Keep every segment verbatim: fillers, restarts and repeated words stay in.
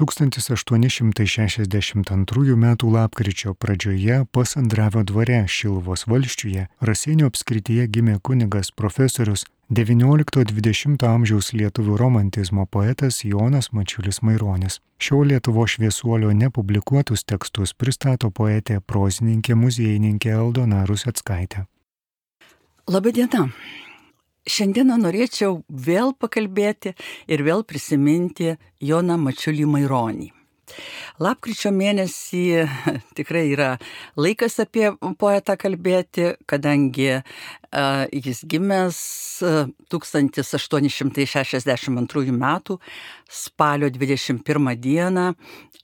tūkstantis aštuoni šimtai šešiasdešimt antrųjų metų lapkričio pradžioje Pasandravio dvare Šiluvos valsčiuje Raseinių apskrityje gimė kunigas profesorius devyniolikto dvidešimto amžiaus lietuvių romantizmo poetas Jonas Mačiulis Maironis. Šio Lietuvos šviesuolio nepublikuotus tekstus pristato poetė prozininkė muziejininkė Aldona Ruseckaitė. Labadiena. Šiandieną norėčiau vėl pakalbėti ir vėl prisiminti Joną Mačiulį Maironį. Lapkričio mėnesį tikrai yra laikas apie poetą kalbėti, kadangi uh, jis gimęs uh, tūkstantis aštuoni šimtai šešiasdešimt antrųjų metų spalio dvidešimt pirmą dieną,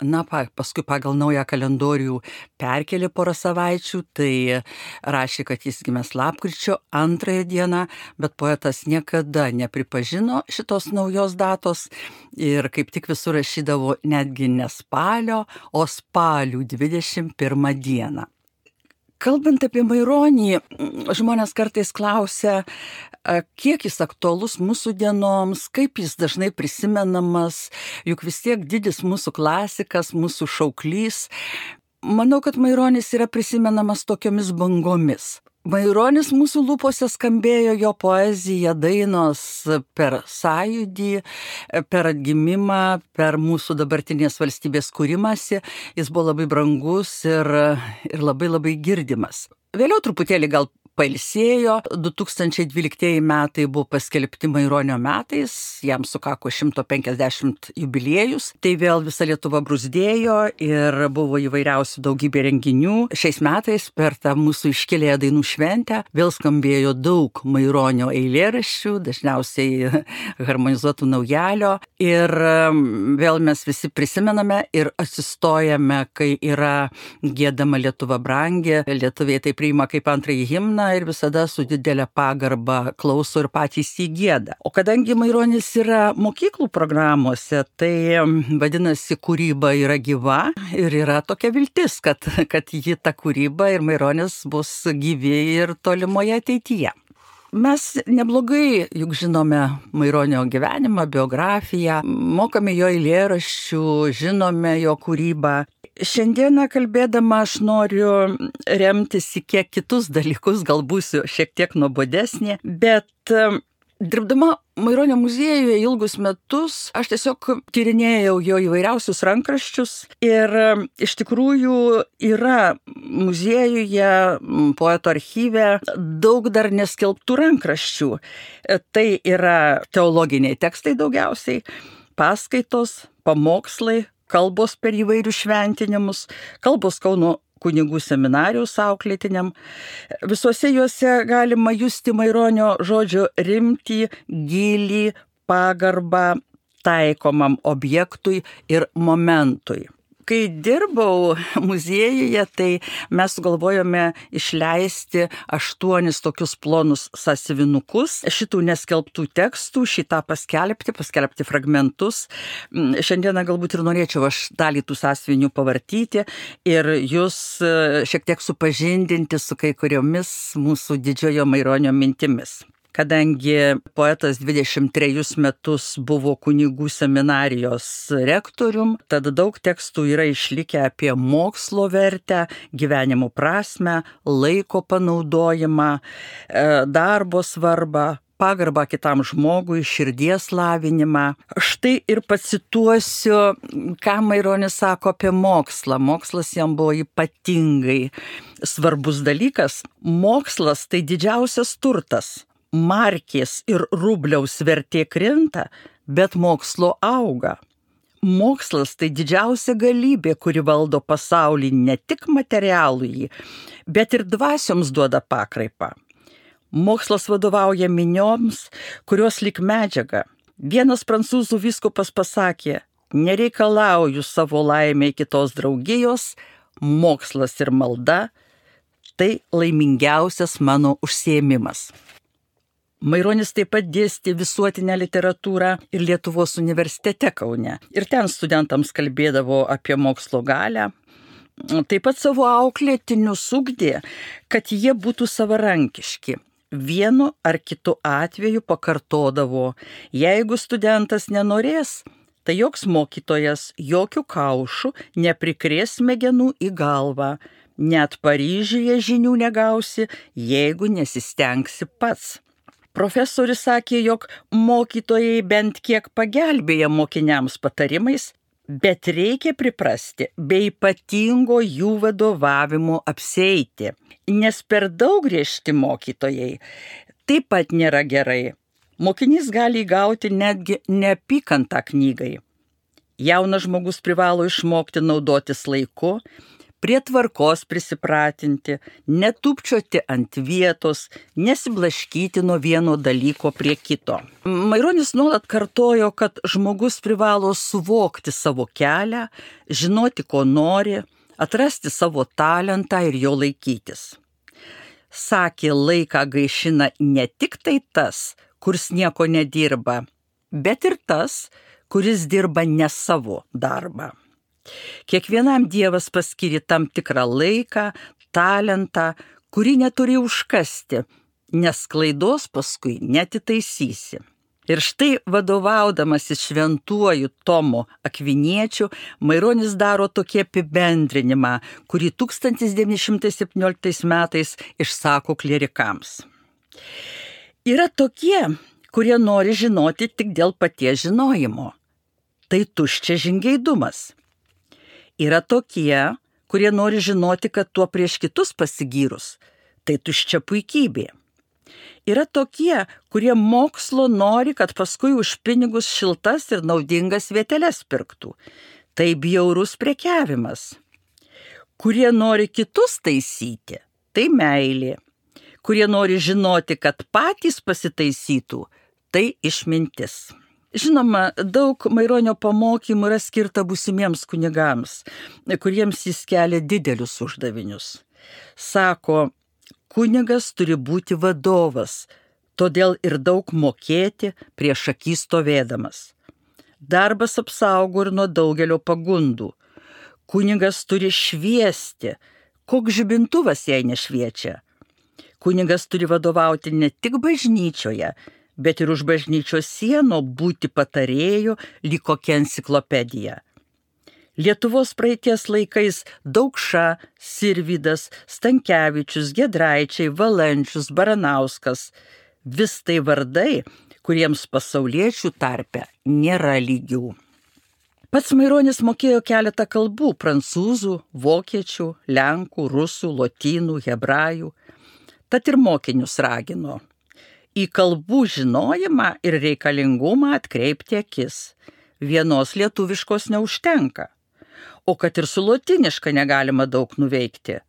na, pa, paskui pagal naują kalendorių perkelė porą savaičių, tai rašė, kad jis gimęs lapkričio antrąją dieną, bet poetas niekada nepripažino šitos naujos datos ir kaip tik visur rašydavo netgi ne spalio, o spalių dvidešimt pirmą dieną. Kalbant apie Maironį, žmonės kartais klausia, kiek jis aktualus mūsų dienoms, kaip jis dažnai prisimenamas, juk vis tiek didis mūsų klasikas, mūsų šauklys. Manau, kad Maironis yra prisimenamas tokiomis bangomis. Maironis mūsų lūpose skambėjo, jo poezija, dainos per sąjūdį, per atgimimą, per mūsų dabartinės valstybės kūrimąsi. Jis buvo labai brangus ir, ir labai labai girdimas. Vėliau truputėlį gal pailsėjo, du tūkstančiai dvyliktieji metai buvo paskelbti Maironio metais, jam sukako šimtas penkiasdešimt jubiliejus, tai vėl visa Lietuva bruzdėjo ir buvo įvairiausių daugybė renginių. Šiais metais per tą mūsų iškilėją dainų šventę vėl skambėjo daug Maironio eilėraščių, dažniausiai harmonizuotų naujalio, ir vėl mes visi prisimename ir atsistojame, kai yra giedama Lietuva brangi, lietuviai tai priima kaip antrąjį himną ir visada su didelė pagarba klauso ir patys jį gieda. O kadangi Maironis yra mokyklų programuose, tai vadinasi, kūryba yra gyva ir yra tokia viltis, kad, kad ji ta kūryba ir Maironis bus gyvi ir tolimoje ateityje. Mes neblogai juk žinome Maironio gyvenimą, biografiją, mokame jo eilėraščių, žinome jo kūrybą. Šiandieną kalbėdama aš noriu remtis į kiek kitus dalykus, gal būsiu šiek tiek nuobodesnė, bet dirbdama Maironio muziejuje ilgus metus, aš tiesiog tyrinėjau jo įvairiausius rankraščius ir iš tikrųjų yra muziejuje, poeto archyve daug dar neskelbtų rankraščių. Tai yra teologiniai tekstai daugiausiai, paskaitos, pamokslai, kalbos per įvairius šventinimus, kalbos Kauno kunigų seminarijos auklėtiniam. Visuose juose galima justi Maironio žodžio rimtį, gylį, pagarbą taikomam objektui ir momentui. Kai dirbau muziejuje, tai mes sugalvojome išleisti aštuonis tokius plonus sąsiuvinukus šitų neskelbtų tekstų, šitą paskelbti, paskelbti fragmentus. Šiandieną galbūt ir norėčiau aš dalį tų sąsiuvinių pavartyti ir jūs šiek tiek supažindinti su kai kuriomis mūsų didžiojo Maironio mintimis. Kadangi poetas dvidešimt trejus metus buvo kunigų seminarijos rektorium, tad daug tekstų yra išlikę apie mokslo vertę, gyvenimo prasmę, laiko panaudojimą, darbo svarbą, pagarbą kitam žmogui, širdies lavinimą. Štai ir pacituosiu, ką Maironis sako apie mokslą. Mokslas jam buvo ypatingai svarbus dalykas. Mokslas tai didžiausias turtas. Markės ir rubliaus vertė krinta, bet mokslo auga. Mokslas tai didžiausia galybė, kuri valdo pasaulį ne tik materialųjį, bet ir dvasioms duoda pakraipą. Mokslas vadovauja minioms, kurios lyg medžiaga. Vienas prancūzų vyskupas pasakė, nereikalauju savo laimę kitos draugijos, mokslas ir malda – tai laimingiausias mano užsiėmimas. Maironis taip pat dėstė visuotinę literatūrą ir Lietuvos universitete Kaune. Ir ten studentams kalbėdavo apie mokslo galią. Taip pat savo auklėtinius ugdė, kad jie būtų savarankiški. Vienu ar kitu atveju pakartodavo, jeigu studentas nenorės, tai joks mokytojas jokių kaušų neprikrės smegenų į galvą. Net Paryžiuje žinių negausi, jeigu nesistengsi pats. Profesorius sakė, jog mokytojai bent kiek pagelbėja mokiniams patarimais, bet reikia priprasti be ypatingo jų vadovavimo apsieiti, nes per daug griežti mokytojai taip pat nėra gerai. Mokinys gali įgauti netgi neapykantą knygai. Jaunas žmogus privalo išmokti naudotis laiku, prie tvarkos prisipratinti, netupčioti ant vietos, nesiblaškyti nuo vieno dalyko prie kito. Maironis nuolat kartojo, kad žmogus privalo suvokti savo kelią, žinoti, ko nori, atrasti savo talentą ir jo laikytis. Sakė, laiką gaišina ne tik tai tas, kuris nieko nedirba, bet ir tas, kuris dirba ne savo darbą. Kiekvienam Dievas paskiri tam tikrą laiką, talentą, kurį neturi užkasti, nes klaidos paskui netitaisysi. Ir štai vadovaudamasis šventuoju Tomu Akviniečiu, Maironis daro tokį apibendrinimą, kurį tūkstantis devyni šimtai septynioliktais metais išsako klierikams. Yra tokie, kurie nori žinoti tik dėl paties žinojimo. Tai tuščia žingeidumas. Yra tokie, kurie nori žinoti, kad tuo prieš kitus pasigyrus. Tai tuščia puikybė. Yra tokie, kurie mokslo nori, kad paskui už pinigus šiltas ir naudingas vieteles pirktų. Tai bjaurus prekiavimas. Kurie nori kitus taisyti, tai meilė. Kurie nori žinoti, kad patys pasitaisytų, tai išmintis. Žinoma, daug Maironio pamokymų yra skirta būsimiems kunigams, kuriems jis kelia didelius uždavinius. Sako, kunigas turi būti vadovas, todėl ir daug mokėti prieš akį stovėdamas. Darbas apsaugo ir nuo daugelio pagundų. Kunigas turi šviesti, koks žibintuvas jai nešviečia. Kunigas turi vadovauti ne tik bažnyčioje, bet ir už bažnyčios sienų būti patarėju lyg kokia enciklopedija. Lietuvos praeities laikais Daukša, Sirvydas, Stankevičius, Giedraičiai, Valančius, Baranauskas – vis tai vardai, kuriems pasauliečių tarpe nėra lygių. Pats Maironis mokėjo keletą kalbų – prancūzų, vokiečių, lenkų, rusų, lotynų, hebrajų. Tad ir mokinius ragino į kalbų žinojimą ir reikalingumą atkreipti akis. Vienos lietuviškos neužtenka, o kad ir su lotyniška negalima daug nuveikti.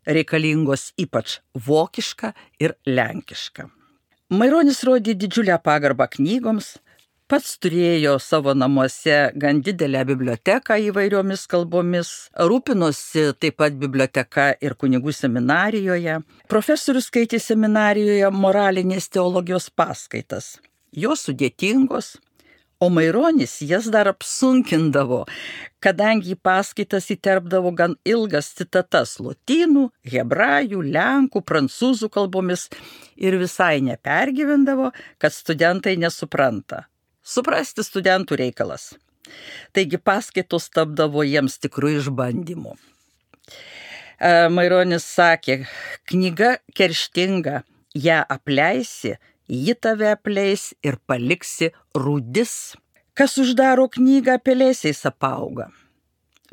Reikalingos ypač vokiška ir lenkiška. Maironis rodė didžiulę pagarbą knygoms, pats turėjo savo namuose gan didelę biblioteką įvairiomis kalbomis, rūpinosi taip pat biblioteka ir kunigų seminarijoje. Profesorius skaitė seminarijoje moralinės teologijos paskaitas. Jos sudėtingos, o Maironis jas dar apsunkindavo, kadangi į paskaitas įterpdavo gan ilgas citatas lotynų, hebrajų, lenkų, prancūzų kalbomis ir visai nepergyvendavo, kad studentai nesupranta. Suprasti studentų reikalas. Taigi paskaitos tapdavo jiems tikrų išbandymų. Maironis sakė, knyga kerštinga, ją apleisi, ji tave apleis ir paliksi rūdis. Kas uždaro knygą, pelėsiais apauga.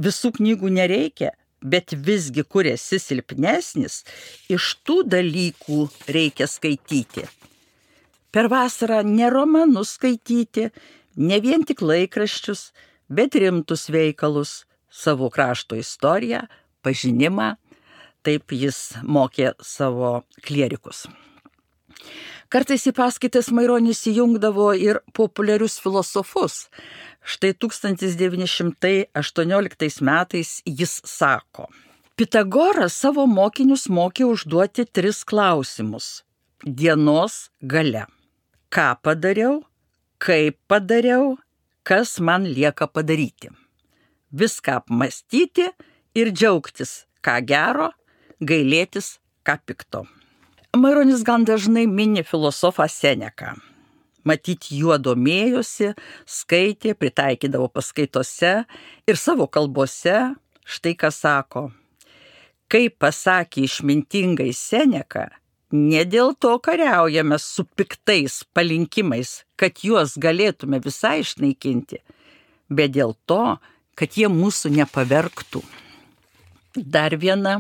Visų knygų nereikia, bet visgi, kur esi silpnesnis, iš tų dalykų reikia skaityti. Per vasarą ne romanus skaityti, ne vien tik laikraščius, bet rimtus veikalus, savo krašto istoriją, pažinimą, taip jis mokė savo klierikus. Kartais į paskaitas Maironis įjungdavo ir populiarius filosofus. Štai tūkstantis devyni šimtai aštuonioliktais metais jis sako, Pitagoras savo mokinius mokė užduoti tris klausimus dienos gale. Ką padariau, kaip padariau, kas man lieka padaryti. Viską apmastyti ir džiaugtis, ką gero, gailėtis, ką pikto. Maironis gan dažnai mini filosofą Seneką. Matyti juo domėjosi, skaitė, pritaikydavo paskaitose ir savo kalbose, štai ką sako. Kaip pasakė išmintingai Seneka, ne dėl to kariaujame su piktais palinkimais, kad juos galėtume visai išnaikinti, bet dėl to, kad jie mūsų nepavergtų. Dar viena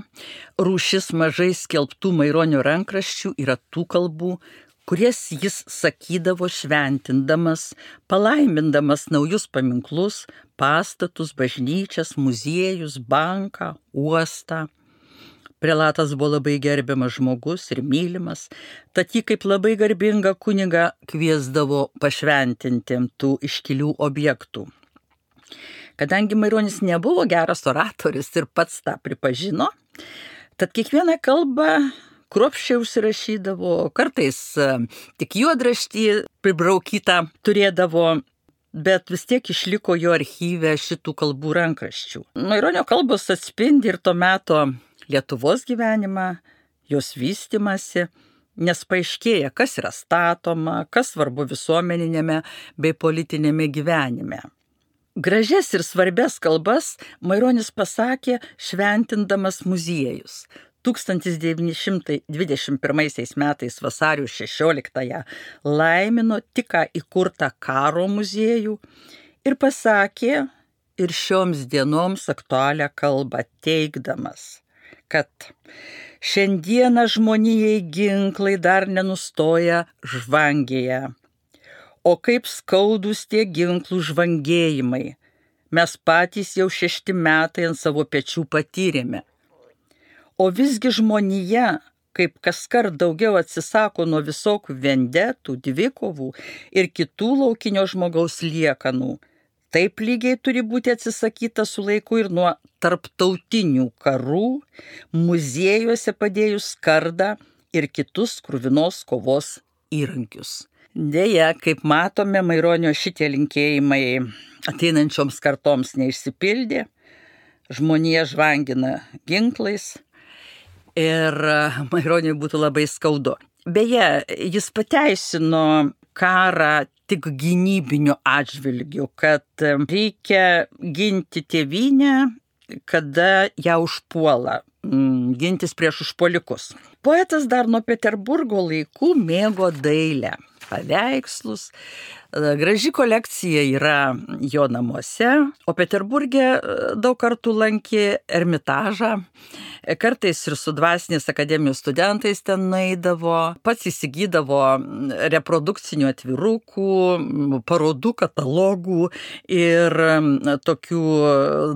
rūšis mažai skelbtų Maironio rankraščių yra tų kalbų, kurias jis sakydavo šventindamas, palaimindamas naujus paminklus, pastatus, bažnyčias, muziejus, banką, uostą. Prelatas buvo labai gerbiamas žmogus ir mylimas, tad jį kaip labai garbingą kunigą kviesdavo pašventinti tų iškilių objektų. Kadangi Maironis nebuvo geras oratorius ir pats tą pripažino, tad kiekvieną kalbą kruopščiai užsirašydavo, kartais tik juodraštį pribraukytą turėdavo, bet vis tiek išliko jo archyve šitų kalbų rankraščių. Maironio kalbos atspindi ir to meto Lietuvos gyvenimą, jos vystymasi, nes paaiškėja, kas yra statoma, kas svarbu visuomeninėme bei politinėme gyvenime. Gražias ir svarbias kalbas Maironis pasakė šventindamas muziejus. tūkstantis devyni šimtai dvidešimt pirmaisiais metais vasario šešioliktąją laimino tik ką įkurtą karo muziejų ir pasakė ir šioms dienoms aktualią kalbą teigdamas, kad šiandieną žmonijai ginklai dar nenustoja žvangėje, o kaip skaudus tie ginklų žvangėjimai, mes patys jau šešti metai ant savo pečių patyrėme. O visgi žmonija, kaip kaskart daugiau atsisako nuo visokių vendetų, dvikovų ir kitų laukinio žmogaus liekanų, taip lygiai turi būti atsisakyta su laiku ir nuo tarptautinių karų, muziejuose padėjus skardą ir kitus kruvinos kovos įrankius. Deja, kaip matome, Maironio šitie linkėjimai ateinančioms kartoms neišsipildė, žmonija žvangina ginklais, ir Maironiui būtų labai skaudu. Beje, jis pateisino karą tik gynybiniu atžvilgiu, kad reikia ginti tėvynę, kada ją užpuola, gintis prieš užpuolikus. Poetas dar nuo Peterburgo laikų mėgo dailę, paveikslus. Graži kolekcija yra jo namuose, o Peterburge daug kartų lankė Ermitažą, kartais ir su dvasinės akademijos studentais ten nueidavo, pats įsigydavo reprodukcinių atvirukų, parodų katalogų ir tokių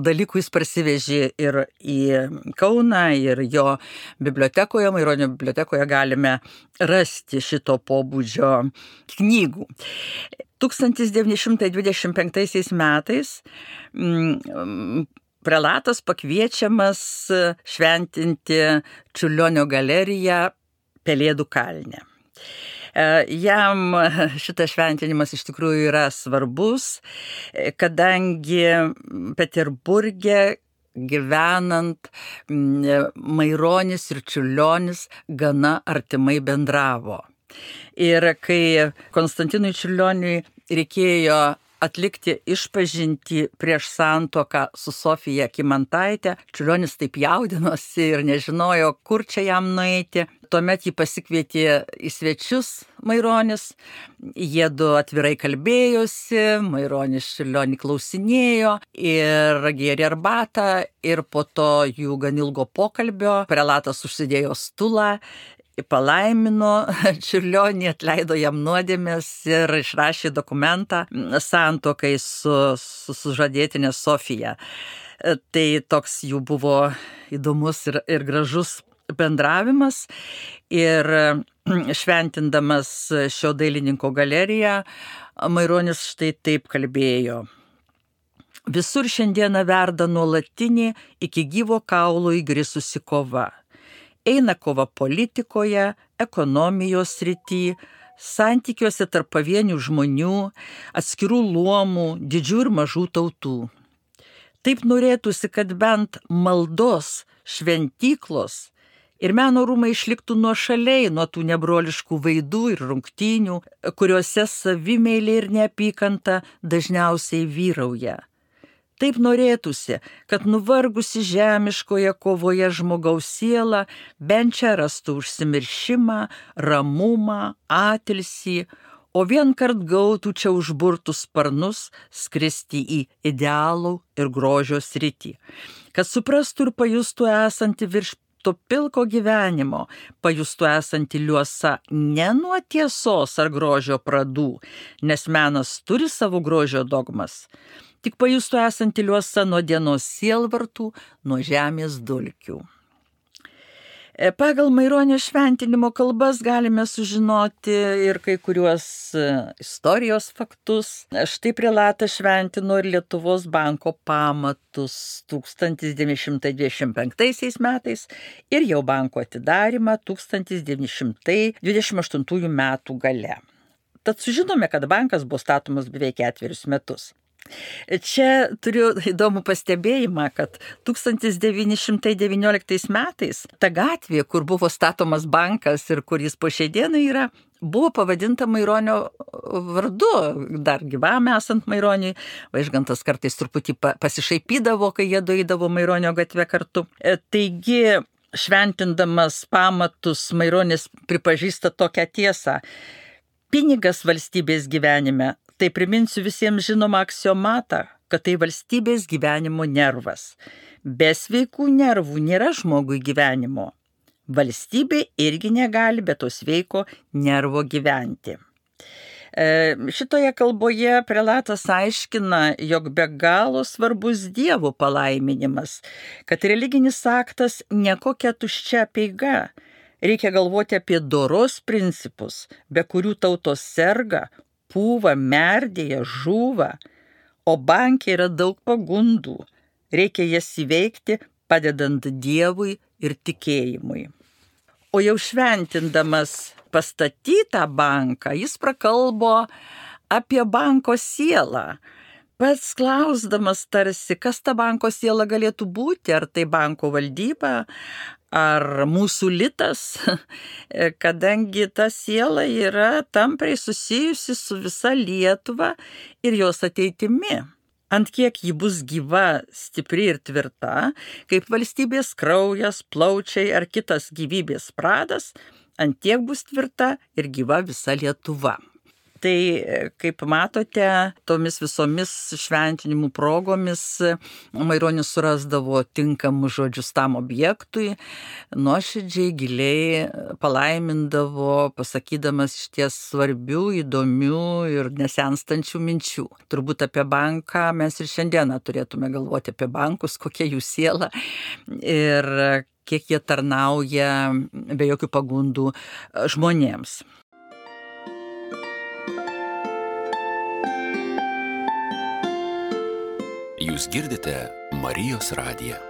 dalykų jis parsivežė ir į Kauną, ir jo bibliotekoje, Maironio bibliotekoje galime rasti šito pobūdžio knygų. tūkstantis devyni šimtai dvidešimt penktaisiais metais prelatas pakviečiamas šventinti Čiurlionio galeriją Pelėdų kalne. Jam šitas šventinimas iš tikrųjų yra svarbus, kadangi Peterburge gyvenant Maironis ir Čiurlionis gana artimai bendravo. Ir kai Konstantinui Čiurlioniui reikėjo atlikti išpažintį prieš santuoką su Sofija Kymantaite, Čiurlionis taip jaudinosi ir nežinojo, kur čia jam nueiti. Tuomet jį pasikvietė į svečius Maironis, jie du atvirai kalbėjosi, Maironis Čiurlionį klausinėjo ir gėrė arbatą, ir po to jų gan ilgo pokalbio prelatas užsidėjo stulą, palaimino Čiurlionį, atleido jam nuodėmes ir išrašė dokumentą santuokai su, su sužadėtine Sofija. Tai toks jų buvo įdomus ir, ir gražus bendravimas, ir šventindamas šio dailininko galeriją, Maironis štai taip kalbėjo. Visur šiandieną verda nuolatinė iki gyvo kaulo įgrisusi kova. Eina kova politikoje, ekonomijos srity, santykiuose tarp pavienių žmonių, atskirų luomų, didžių ir mažų tautų. Taip norėtųsi, kad bent maldos šventyklos Ir meno rūmai išliktų nuošaliai nuo tų nebroliškų vaidų ir rungtynių, kuriuose savimeilė ir neapykanta dažniausiai vyrauja. Taip norėtųsi, kad nuvargusi žemiškoje kovoje žmogaus siela bent čia rastų užsimiršimą, ramumą, atilsį, o vien kart gautų čia užburtus sparnus skristi į idealų ir grožio sritį, kad suprastų ir pajustų esanti virš to pilko gyvenimo, pajustų esanti liuosa ne nuo tiesos ar grožio pradų, nes menas turi savo grožio dogmas, tik pajustų esanti liuosa nuo dienos sielvartų, nuo žemės dulkių. Pagal Maironio šventinimo kalbas galime sužinoti ir kai kuriuos istorijos faktus. Štai prelatas šventino ir Lietuvos banko pamatus tūkstantis devyni šimtai dvidešimt penktaisiais metais ir jau banko atidarymą tūkstantis devyni šimtai dvidešimt aštuntųjų metų gale. Tad sužinome, kad bankas buvo statomas beveik ketverius metus. Čia turiu įdomų pastebėjimą, kad tūkstantis devyni šimtai devynioliktais metais ta gatvė, kur buvo statomas bankas ir kur jis po šiai dienai yra, buvo pavadinta Maironio vardu, dar gyvam esant Maironiui. Vaižgantas kartais truputį pasišaipydavo, kai jie doidavo Maironio gatvę kartu. Taigi, šventindamas pamatus, Maironis pripažįsta tokią tiesą. Pinigas valstybės gyvenime. Tai priminsiu visiems žinomą aksiomatą, kad tai valstybės gyvenimo nervas. Be sveikų nervų nėra žmogui gyvenimo. Valstybė irgi negali be to sveiko nervo gyventi. E, šitoje kalboje prelatas aiškina, jog be galo svarbus Dievo palaiminimas, kad religinis aktas ne kokia tuščia apeiga. Reikia galvoti apie doros principus, be kurių tautos serga, pūva, merdėja, žūva, o banke yra daug pagundų. Reikia jas įveikti, padedant Dievui ir tikėjimui. O jau šventindamas pastatytą banką, jis prakalbo apie banko sielą. Pats klausdamas tarsi, kas ta banko siela galėtų būti, ar tai banko valdyba, ar mūsų litas, kadangi ta siela yra tampriai susijusi su visa Lietuva ir jos ateitimi. Ant kiek ji bus gyva, stipri ir tvirta, kaip valstybės kraujas, plaučiai ar kitas gyvybės pradas, ant tiek bus tvirta ir gyva visa Lietuva. Tai, kaip matote, tomis visomis šventinimų progomis Maironis surasdavo tinkamus žodžius tam objektui, nuoširdžiai, giliai palaimindavo, pasakydamas išties svarbių, įdomių ir nesenstančių minčių. Turbūt apie banką mes ir šiandieną turėtume galvoti apie bankus, kokia jų siela ir kiek jie tarnauja be jokių pagundų žmonėms. Jūs girdite Marijos radiją.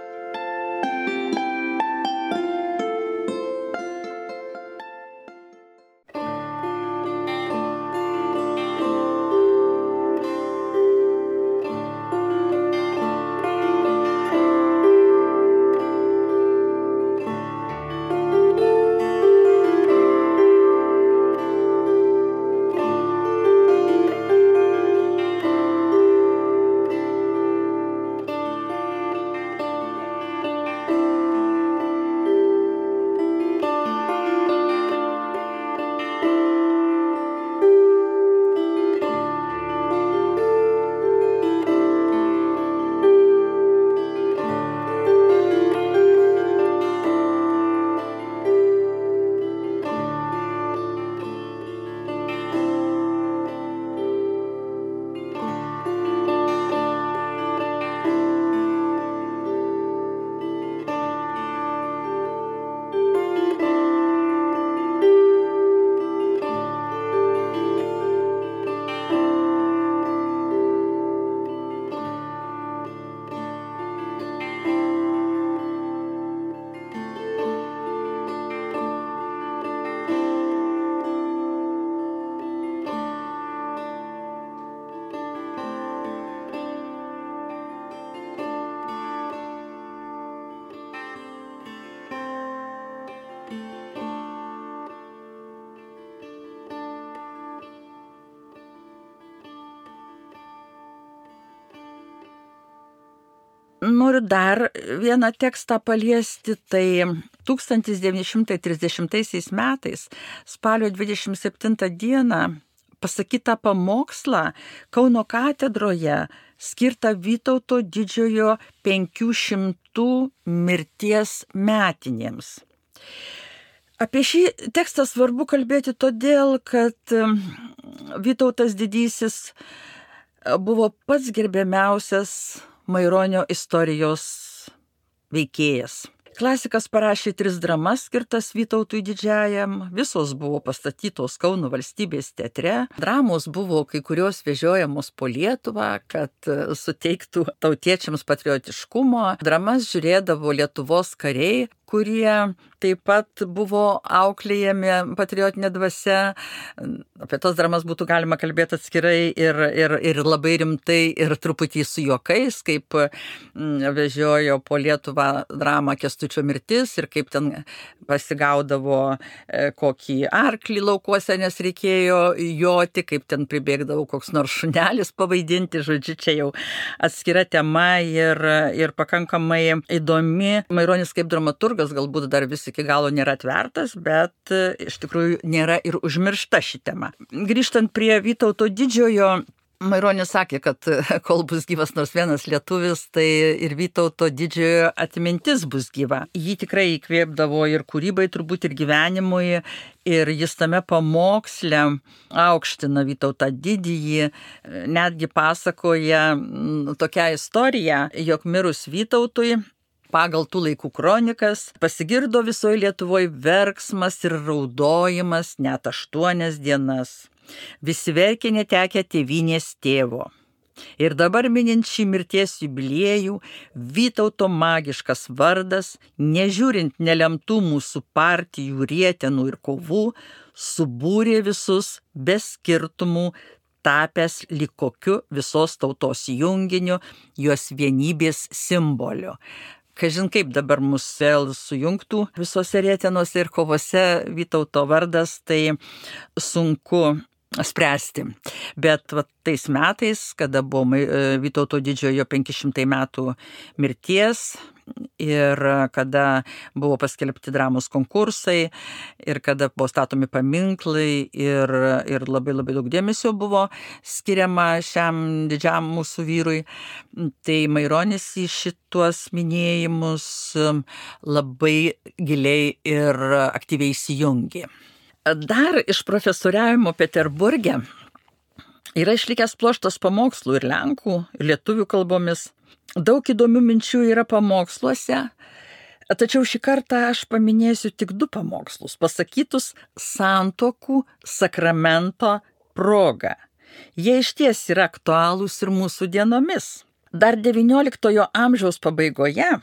noriu dar vieną tekstą paliesti, tai tūkstantis devyni šimtai trisdešimtaisiais metais spalio dvidešimt septintą dieną pasakytą pamokslą Kauno katedroje skirtą Vytauto didžiojo penkių šimtų mirties metinėms. Apie šį tekstą svarbu kalbėti todėl, kad Vytautas didysis buvo pats gerbiamiausias Maironio istorijos veikėjas. Klasikas parašė tris dramas skirtas Vytautui didžiajam, visos buvo pastatytos Kauno valstybės teatre. Dramos buvo kai kurios vežiojamos po Lietuvą, kad suteiktų tautiečiams patriotiškumo. Dramas žiūrėdavo Lietuvos kariai, kurie taip pat buvo auklėjami patriotinė dvasia. Apie tos dramas būtų galima kalbėti atskirai ir, ir, ir labai rimtai ir truputį su juokais, kaip vežiojo po Lietuvą dramą Kęstučio mirtis ir kaip ten pasigaudavo kokį arklį laukuose, nes reikėjo joti, kaip ten pribėgdavo koks nors šunelis pavaidinti. Žodžiu, čia jau atskira tema ir, ir pakankamai įdomi. Maironis kaip dramaturgas galbūt dar vis iki galo nėra atvertas, bet iš tikrųjų nėra ir užmiršta ši tema. Grįžtant prie Vytauto didžiojo, Maironis sakė, kad kol bus gyvas nors vienas lietuvis, tai ir Vytauto didžiojo atmintis bus gyva. Jį tikrai įkvėpdavo ir kūrybai, turbūt ir gyvenimui, ir jis tame pamoksle aukština Vytautą didįjį, netgi pasakoja tokią istoriją, jog mirus Vytautui, pagal tų laikų kronikas, pasigirdo visoje Lietuvoje verksmas ir raudojimas net aštuonias dienas. Visi verkė netekę tėvynės tėvo. Ir dabar minint šį mirties jubiliejų, Vytauto magiškas vardas, nežiūrint nelemtų mūsų partijų rietenų ir kovų, subūrė visus be skirtumų, tapęs lyg kokiu visos tautos junginiu, jos vienybės simboliu. Kažin kaip dabar mus vėl sujungtų visose rietenose ir kovose Vytauto vardas, tai sunku spręsti. Bet va, tais metais, kada buvo Vytauto didžiojo penki šimtai metų mirties ir kada buvo paskelbti dramos konkursai ir kada buvo statomi paminklai ir, ir labai labai daug dėmesio buvo skiriama šiam didžiam mūsų vyrui, tai Maironis į šituos minėjimus labai giliai ir aktyviai įsijungė. Dar iš profesoriavimo Peterburge yra išlikęs pluoštas pamokslų ir lenkų, ir lietuvių kalbomis. Daug įdomių minčių yra pamoksluose, tačiau šį kartą aš paminėsiu tik du pamokslus, pasakytus santuokų sakramento proga. Jie išties yra aktualūs ir mūsų dienomis. Dar devynioliktojo amžiaus pabaigoje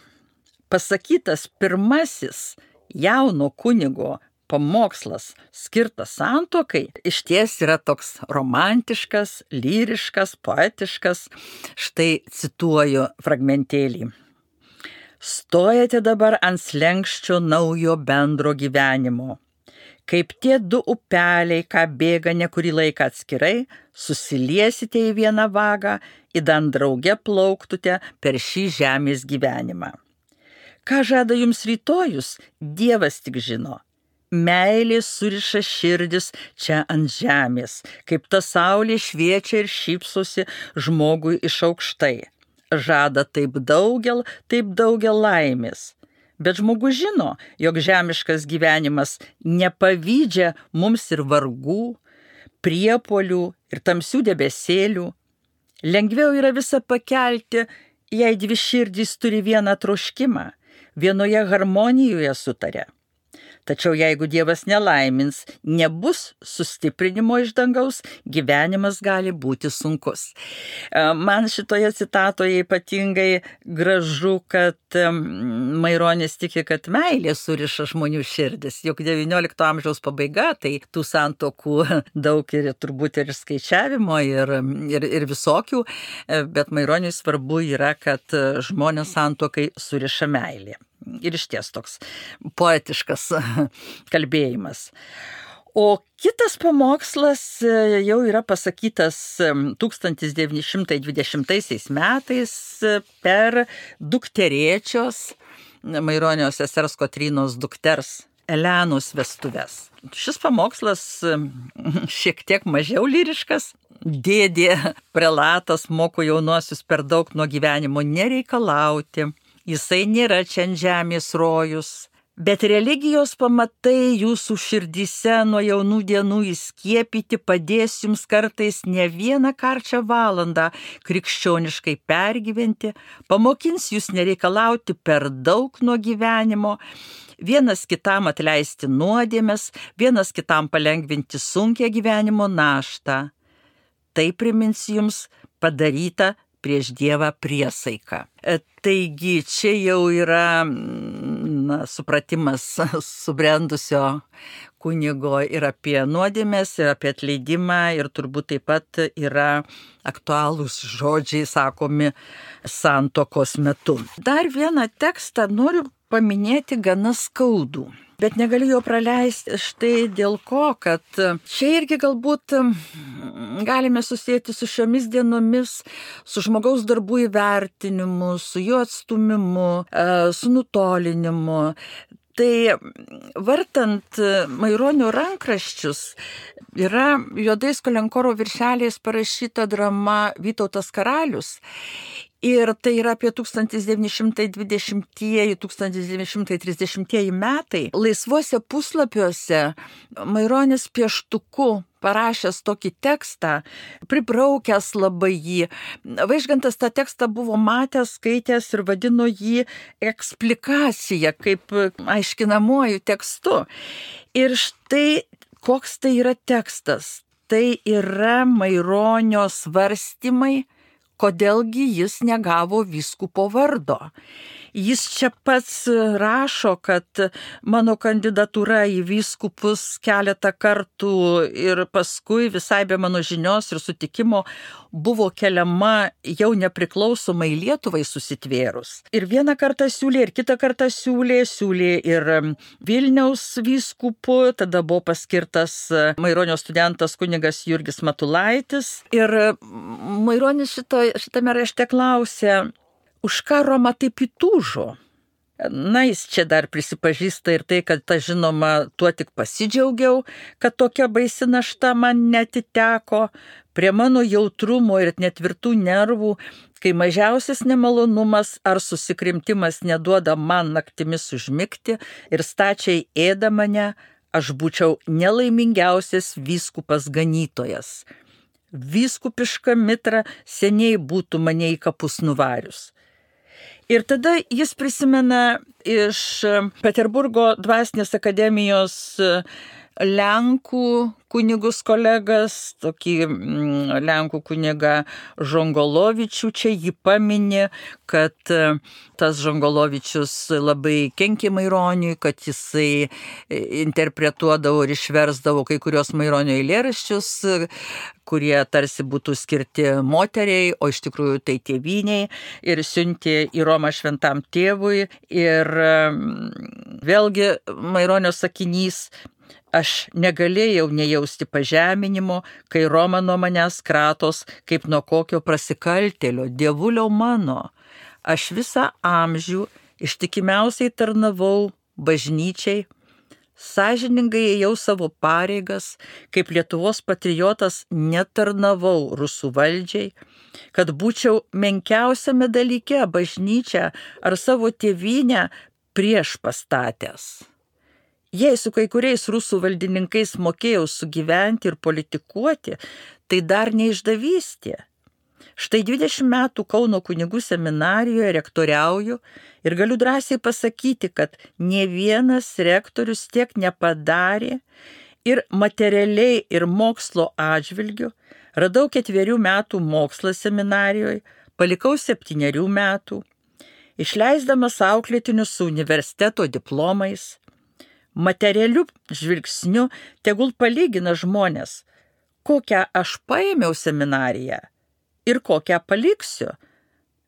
pasakytas pirmasis jauno kunigo pamokslas skirtas santuokai išties yra toks romantiškas, lyriškas, poetiškas. Štai cituoju fragmentėlį. Stojate dabar ant slenkščio naujo bendro gyvenimo. Kaip tie du upeliai, ką bėga ne kurį laiką atskirai, susiliesite į vieną vagą, įdant drauge plauktute per šį žemės gyvenimą. Ką žada jums rytojus, Dievas tik žino. Meilė suriša širdis čia ant žemės, kaip ta saulė šviečia ir šypsosi žmogui iš aukštai. Žada taip daugel, taip daugel laimės. Bet žmogus žino, jog žemiškas gyvenimas nepavydžia mums ir vargų, priepuolių ir tamsių debesėlių. Lengviau yra visą pakelti, jei dvi širdys turi vieną troškimą, vienoje harmonijoje sutaria. Tačiau jeigu Dievas nelaimins, nebus sustiprinimo iš dangaus, gyvenimas gali būti sunkus. Man šitoje citatoje ypatingai gražu, kad Maironis tiki, kad meilė suriša žmonių širdis. Juk devyniolikto amžiaus pabaiga, tai tų santuokų daug ir turbūt ir skaičiavimo ir, ir, ir visokių, bet Maironiui svarbu yra, kad žmonės santuokai suriša meilė. Ir išties toks poetiškas kalbėjimas. O kitas pamokslas jau yra pasakytas tūkstantis devyni šimtai dvidešimtaisiais metais per dukterėčios, Maironio sesers Kotrynos dukters Elenos vestuves. Šis pamokslas šiek tiek mažiau lyriškas. Dėdė prelatas moko jaunuosius per daug nuo gyvenimo nereikalauti. Jisai nėra čia ant žemės rojus. Bet religijos pamatai jūsų širdyse nuo jaunų dienų įskiepyti padės jums kartais ne vieną karčią valandą krikščioniškai pergyventi, pamokins jūs nereikalauti per daug nuo gyvenimo, vienas kitam atleisti nuodėmes, vienas kitam palengvinti sunkią gyvenimo naštą. Tai primins jums padarytą prieš Dievą priesaiką. Taigi čia jau yra na, supratimas subrendusio kunigo ir apie nuodėmes, ir apie atleidimą, ir turbūt taip pat yra aktualūs žodžiai sakomi santuokos metu. Dar vieną tekstą noriu paminėti gana skaudų. Bet negaliu jo praleisti štai dėl ko, kad čia irgi galbūt galime susėti su šiomis dienomis, su žmogaus darbų įvertinimu, su jo atstumimu, su nutolinimu. Tai vartant Maironio rankraščius yra juodais kolenkoro viršeliais parašyta drama Vytautas karalius. Ir tai yra apie tūkstantis devyni šimtai dvidešimtieji - tūkstantis devyni šimtai trisdešimtieji metai. Laisvuose puslapiuose Maironis pieštuku parašęs tokį tekstą, pribraukęs labai jį. Vaižgantas tą tekstą buvo matęs, skaitęs ir vadino jį eksplikacija, kaip aiškinamuoju tekstu. Ir štai koks tai yra tekstas. Tai yra Maironio svarstymai, kodėlgi jis negavo vyskupo vardo. Jis čia pats rašo, kad mano kandidatūra į vyskupus keletą kartų ir paskui visai be mano žinios ir sutikimo buvo keliama jau nepriklausomai Lietuvai susitvėrus. Ir vieną kartą siūlė, ir kitą kartą siūlė, siūlė ir Vilniaus vyskupu, tada buvo paskirtas Maironio studentas kunigas Jurgis Matulaitis. Ir Maironis šito, šitame rašte klausė, už ką Roma taip įtūžo? Na, jis čia dar prisipažįsta ir tai, kad ta žinoma, tuo tik pasidžiaugiau, kad tokia baisi našta man netiteko, prie mano jautrumo ir netvirtų nervų, kai mažiausias nemalonumas ar susikrimtimas neduoda man naktimis užmigti ir stačiai ėda mane, aš būčiau nelaimingiausias vyskupas ganytojas. Vyskupiška mitra seniai būtų mane į kapus nuvarius. Ir tada jis prisimena iš Peterburgo dvasinės akademijos Lenkų kunigus kolegas, tokį Lenkų kunigą Žongolovičių, čia jį paminė, kad tas Žongolovičius labai kenkė Maironiui, kad jisai interpretuodavo ir išversdavo kai kurios Maironio eilėraščius, kurie tarsi būtų skirti moteriai, o iš tikrųjų tai tėvyniai, ir siuntė į Romą šventam tėvui. Ir vėlgi Maironio sakinys, aš negalėjau nejausti pažeminimo, kai Roma nuo manęs kratos, kaip nuo kokio prasikaltėlio, dievulio mano. Aš visą amžių ištikimiausiai tarnavau bažnyčiai, sąžiningai ėjau savo pareigas, kaip Lietuvos patriotas netarnavau rusų valdžiai, kad būčiau menkiausiame dalyke bažnyčią ar savo tėvynę prieš pastatęs. Jei su kai kuriais rusų valdininkais mokėjau sugyventi ir politikuoti, tai dar neišdavystė. Štai dvidešimt metų Kauno kunigų seminarijoje rektoriauju ir galiu drąsiai pasakyti, kad ne vienas rektorius tiek nepadarė ir materialiai ir mokslo atžvilgiu. Radau ketverių metų mokslą seminarijoje, palikau septynerių metų, išleisdamas auklėtinius su universiteto diplomais. Materialiu žvilgsniu tegul palygina žmonės, kokią aš paėmiau seminariją ir kokią paliksiu.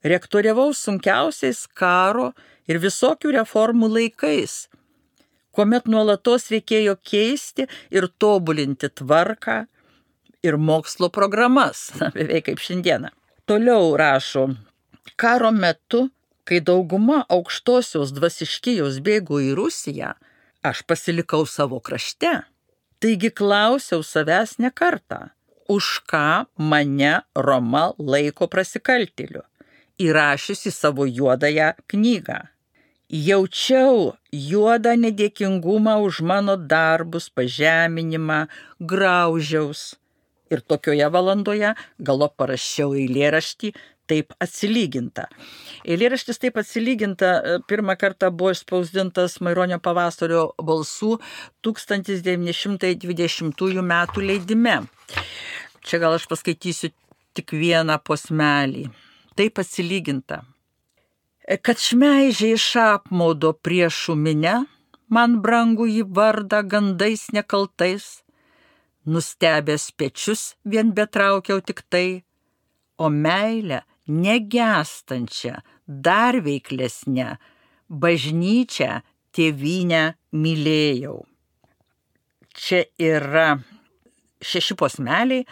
Rektoriavau sunkiausiais karo ir visokių reformų laikais. kuomet nuolatos reikėjo keisti ir tobulinti tvarką ir mokslo programas, beveik kaip šiandieną. Toliau rašo, karo metu, kai dauguma aukštosios dvasiškijos bėgo į Rusiją, aš pasilikau savo krašte. Taigi klausiau savęs ne kartą, už ką mane Roma laiko prasikaltėliu, įrašiusi savo juodąją knygą. Jaučiau juodą nedėkingumą už mano darbus, pažeminimą, graužiaus. Ir tokioje valandoje galop parašiau eilėraštį Taip atsilyginta. Eilėraštis Taip atsilyginta pirmą kartą buvo išspausdintas Maironio pavasario balsų tūkstantis devyni šimtai dvidešimtųjų metų leidime. Čia gal aš paskaitysiu tik vieną posmelį. Taip atsilyginta. Kad šmeižiai iš apmaudo priešų minę, man brangų jį vardą gandais nekaltais, nustebęs pečius vien betraukiau tik tai, o meilę negęstančią, dar veiklesnę, bažnyčią tėvynę mylėjau. Čia yra šeši posmeliai,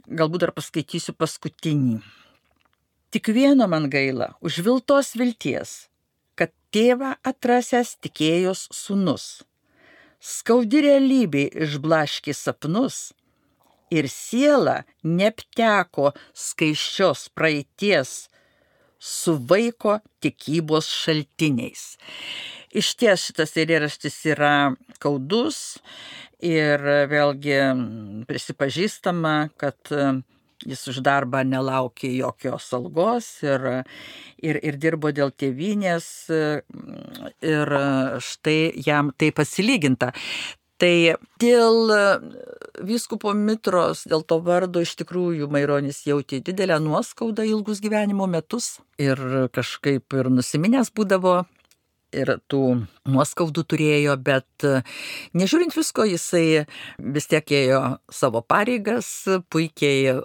galbūt dar paskaitysiu paskutinį. Tik vieno man gaila, užviltos vilties, kad tėvą atrasęs tikėjos sūnus. Skaudi realybė išblaškė sapnus ir siela neapteko skaiščios praeities su vaiko tikybos šaltiniais. Iš ties šitas eilėraštis yra skaudus ir vėlgi prisipažįstama, kad jis už darbą nelaukė jokios algos ir, ir, ir dirbo dėl tėvynės ir štai jam taip atsilyginta. Tai dėl vyskupo Mitros, dėl to vardo iš tikrųjų Maironis jautė didelę nuoskaudą ilgus gyvenimo metus ir kažkaip ir nusiminęs būdavo. Ir tų nuoskaudų turėjo, bet nežiūrint visko, jisai vis tiek ėjo savo pareigas, puikiai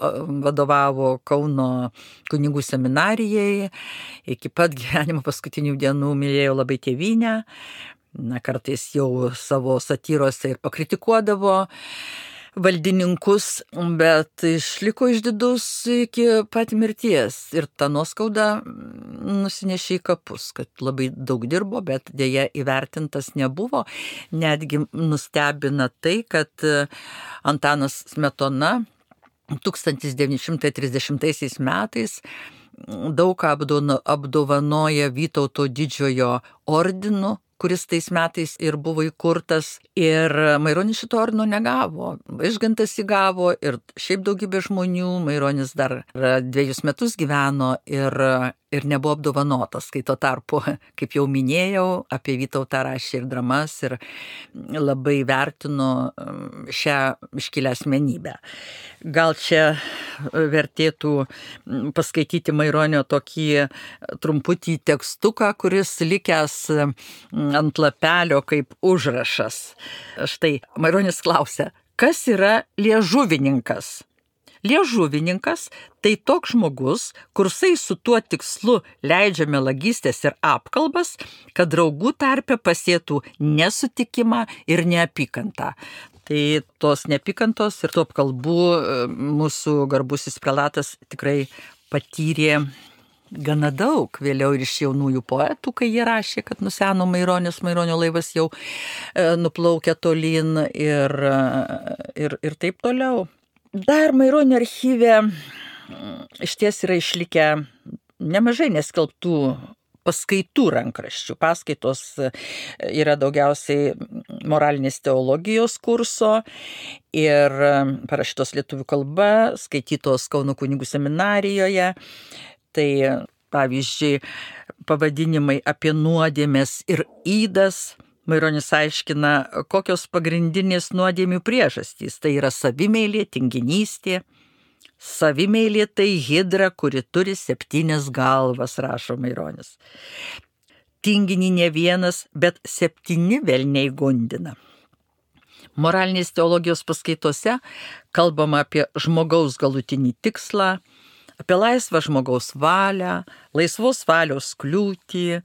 vadovavo Kauno kunigų seminarijai, iki pat gyvenimo paskutinių dienų mylėjo labai tėvynę, na, kartais jau savo satyrose ir pakritikuodavo valdininkus, bet išliko išdidus iki pat mirties ir ta nuoskauda nusinešė į kapus, kad labai daug dirbo, bet dėja įvertintas nebuvo. Netgi nustebina tai, kad Antanas Smetona tūkstantis devyni šimtai trisdešimtaisiais metais daug ką apdovanoja Vytauto didžiojo ordinu, kuris tais metais ir buvo įkurtas, ir Maironis šito ordino negavo. Vaižgantas įgavo ir šiaip daugybė žmonių, Maironis dar dviejus metus gyveno ir, ir nebuvo apdovanotas, kai tuo tarpu, kaip jau minėjau, apie Vytautą rašė ir dramas ir labai vertino šią iškilią asmenybę. Gal čia vertėtų paskaityti Maironio tokį trumputį tekstuką, kuris likęs ant lapelio kaip užrašas. Štai Maironis klausia, kas yra liežuvininkas? Liežuvininkas tai toks žmogus, kursai su tuo tikslu leidžia melagystės ir apkalbas, kad draugų tarpe pasėtų nesutikimą ir neapykantą. Tai tos neapykantos ir tų apkalbų mūsų garbusis prelatas tikrai patyrė gana daug, vėliau ir iš jaunųjų poetų, kai jie rašė, kad nuseno Maironis, Maironio laivas jau e, nuplaukė tolyn ir, ir, ir taip toliau. Dar Maironio archyve iš ties yra išlikę nemažai neskelbtų paskaitų rankraščių. Paskaitos yra daugiausiai moralinės teologijos kurso ir parašytos lietuvių kalba, skaitytos Kauno kunigų seminarijoje. Tai pavyzdžiui, pavadinimai apie nuodėmes ir ydas. Maironis aiškina, kokios pagrindinės nuodėmių priežastys. Tai yra savimeilė, tinginystė. Savimeilė tai hidra, kuri turi septynias galvas, rašo Maironis. Tinginį ne vienas, bet septyni velniai gundina. Moralinės teologijos paskaitose kalbama apie žmogaus galutinį tikslą, apie laisvą žmogaus valią, laisvos valios kliūtį,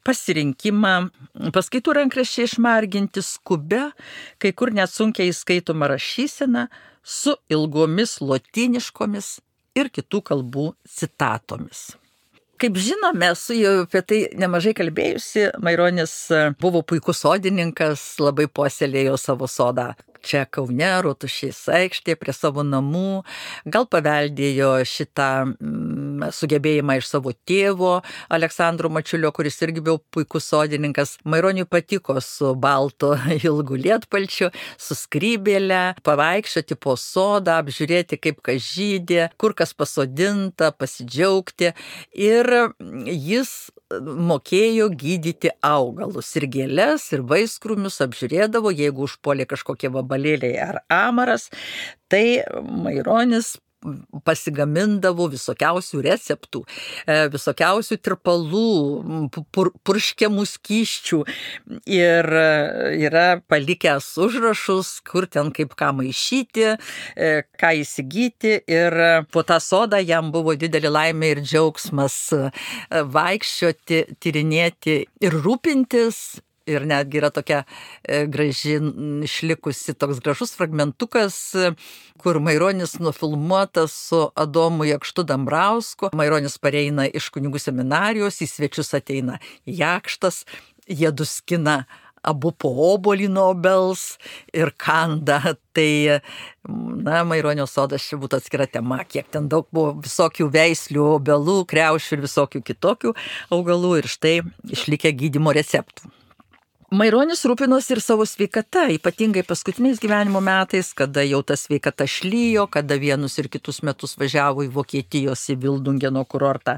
pasirinkimą, paskaitų rankraščiai išmarginti skubę, kai kur net sunkiai įskaitoma rašysena su ilgomis lotyniškomis ir kitų kalbų citatomis. Kaip žinome, esu jau apie tai nemažai kalbėjusi, Maironis buvo puikus sodininkas, labai puoselėjo savo sodą čia Kaune, Rotušės aikštėje, prie savo namų, gal paveldėjo šitą mm, sugebėjimą iš savo tėvo Aleksandro Mačiulio, kuris irgi buvo puikus sodininkas. Maironiui patiko su balto ilgu lietpalčiu, su skrybėle, pavaikščioti po sodą, apžiūrėti, kaip kas žydė, kur kas pasodinta, pasidžiaugti. Ir jis mokėjo gydyti augalus ir gėles, ir vaiskrūmius apžiūrėdavo, jeigu užpuolė kažkokie vabalėliai ar amaras, tai Maironis pasigamindavo visokiausių receptų, visokiausių tirpalų, pur, purškiamų skysčių ir yra palikęs užrašus, kur ten kaip ką maišyti, ką įsigyti, ir po tą sodą jam buvo didelė laimė ir džiaugsmas vaikščioti, tyrinėti ir rūpintis. Ir netgi yra tokia graži išlikusi toks gražus fragmentukas, kur Maironis nufilmuotas su Adomu Jakštu Dambrausku. Maironis pareina iš kunigų seminarijos, į svečius ateina Jakštas, jie duskina abu po obuolį nuo obels ir kanda. Tai, na, Maironio sodas čia būtų atskira tema, kiek ten daug buvo visokių veislių, obelų, kriaušių ir visokių kitokių augalų, ir štai išlikę gydymo receptų. Maironis rūpinosi ir savo sveikata, ypatingai paskutiniais gyvenimo metais, kada jau ta sveikata šlyjo, kada vienus ir kitus metus važiavo į Vokietijos, į Vildungeno kurortą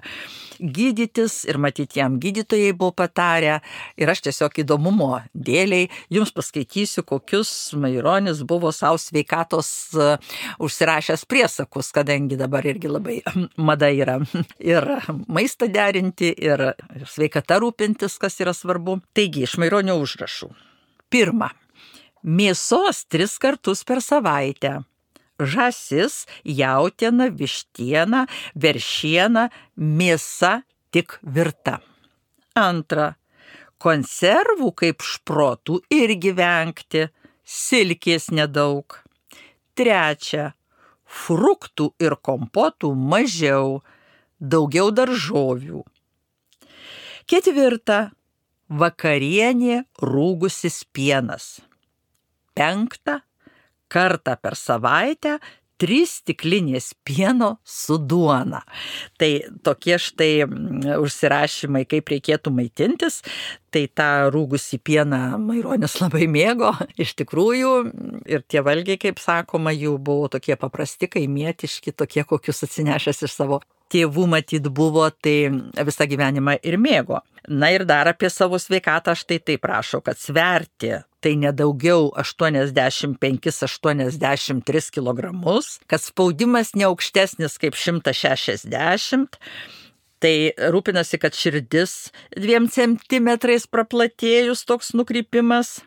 gydytis, ir matyti jam gydytojai buvo patarę. Ir aš tiesiog įdomumo dėliai jums paskaitysiu, kokius Maironis buvo savo sveikatos uh, užsirašęs priesakus, kadangi dabar irgi labai mada yra ir maistą derinti, ir sveikata rūpintis, kas yra svarbu. Taigi, iš Maironio užrašų. Pirma, mėsos tris kartus per savaitę. Žąsis, jautiena, vištiena, veršiena, mėsa tik virta. Antra, konservų kaip šprotų irgi vengti, silkės nedaug. Trečia, fruktų ir kompotų mažiau, daugiau daržovių. Ketvirta, vakarienė rūgusis pienas. Penkta, kartą per savaitę trys stiklinės pieno su duona. Tai tokie štai užsirašymai, kaip reikėtų maitintis. Tai tą rūgusį pieną Maironis labai mėgo, iš tikrųjų, ir tie valgiai, kaip sakoma, jų buvo tokie paprasti, kaimietiški, tokie, kokius atsinešęs iš savo tėvų matyt buvo, tai visą gyvenimą ir mėgo. Na ir dar apie savo sveikatą štai taip rašo, kad sverti tai nedaugiau aštuoniasdešimt penkis aštuoniasdešimt tris kilogramus, kad spaudimas neaukštesnis kaip šimtas šešiasdešimt, tai rūpinasi, kad širdis dviem centimetrais praplatėjus toks nukrypimas.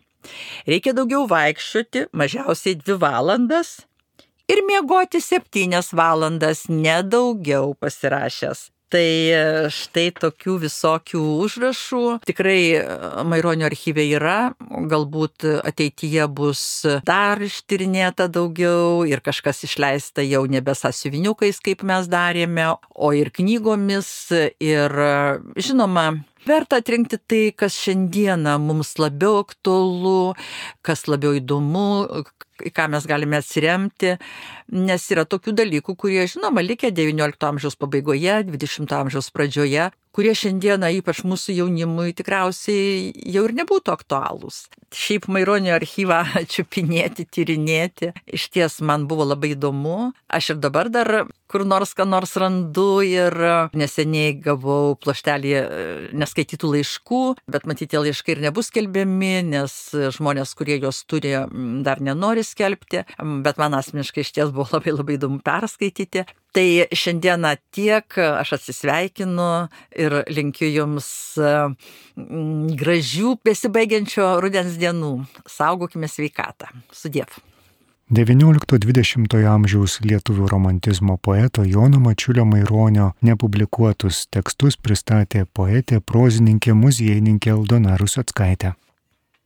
Reikia daugiau vaikščioti, mažiausiai dvi valandas, ir miegoti septynias valandas, nedaugiau pasirašęs. Tai štai tokių visokių užrašų tikrai Maironio archyve yra, galbūt ateityje bus dar ištyrinėta daugiau ir kažkas išleista jau nebe sąsiuviniukais, kaip mes darėme, o ir knygomis. Ir žinoma, verta atrinkti tai, kas šiandieną mums labiau aktualu, kas labiau įdomu, į ką mes galime atsiremti, nes yra tokių dalykų, kurie, žinoma, likę devyniolikto amžiaus pabaigoje, dvidešimto amžiaus pradžioje, kurie šiandieną, ypač mūsų jaunimui, tikriausiai jau ir nebūtų aktualūs. Šiaip Maironio archyvą čiupinėti, tyrinėti, iš ties man buvo labai įdomu. Aš ir dabar dar kur nors ką nors randu, ir neseniai gavau pluoštelį neskaitytų laiškų, bet matyti tie laiškai ir nebus skelbiami, nes žmonės, kurie juos turi, dar nenori skelbti, bet man asmeniškai iš ties buvo labai labai įdomu perskaityti. Tai šiandieną tiek, aš atsisveikinu ir linkiu jums gražių besibaigiančio rudens dienų. Saugokime sveikatą. Sudiev. devyniolikto dvidešimtojo amžiaus lietuvių romantizmo poeto Jono Mačiulio Maironio nepublikuotus tekstus pristatė poetė, prozininkė, muziejininkė Aldona Ruseckaitė.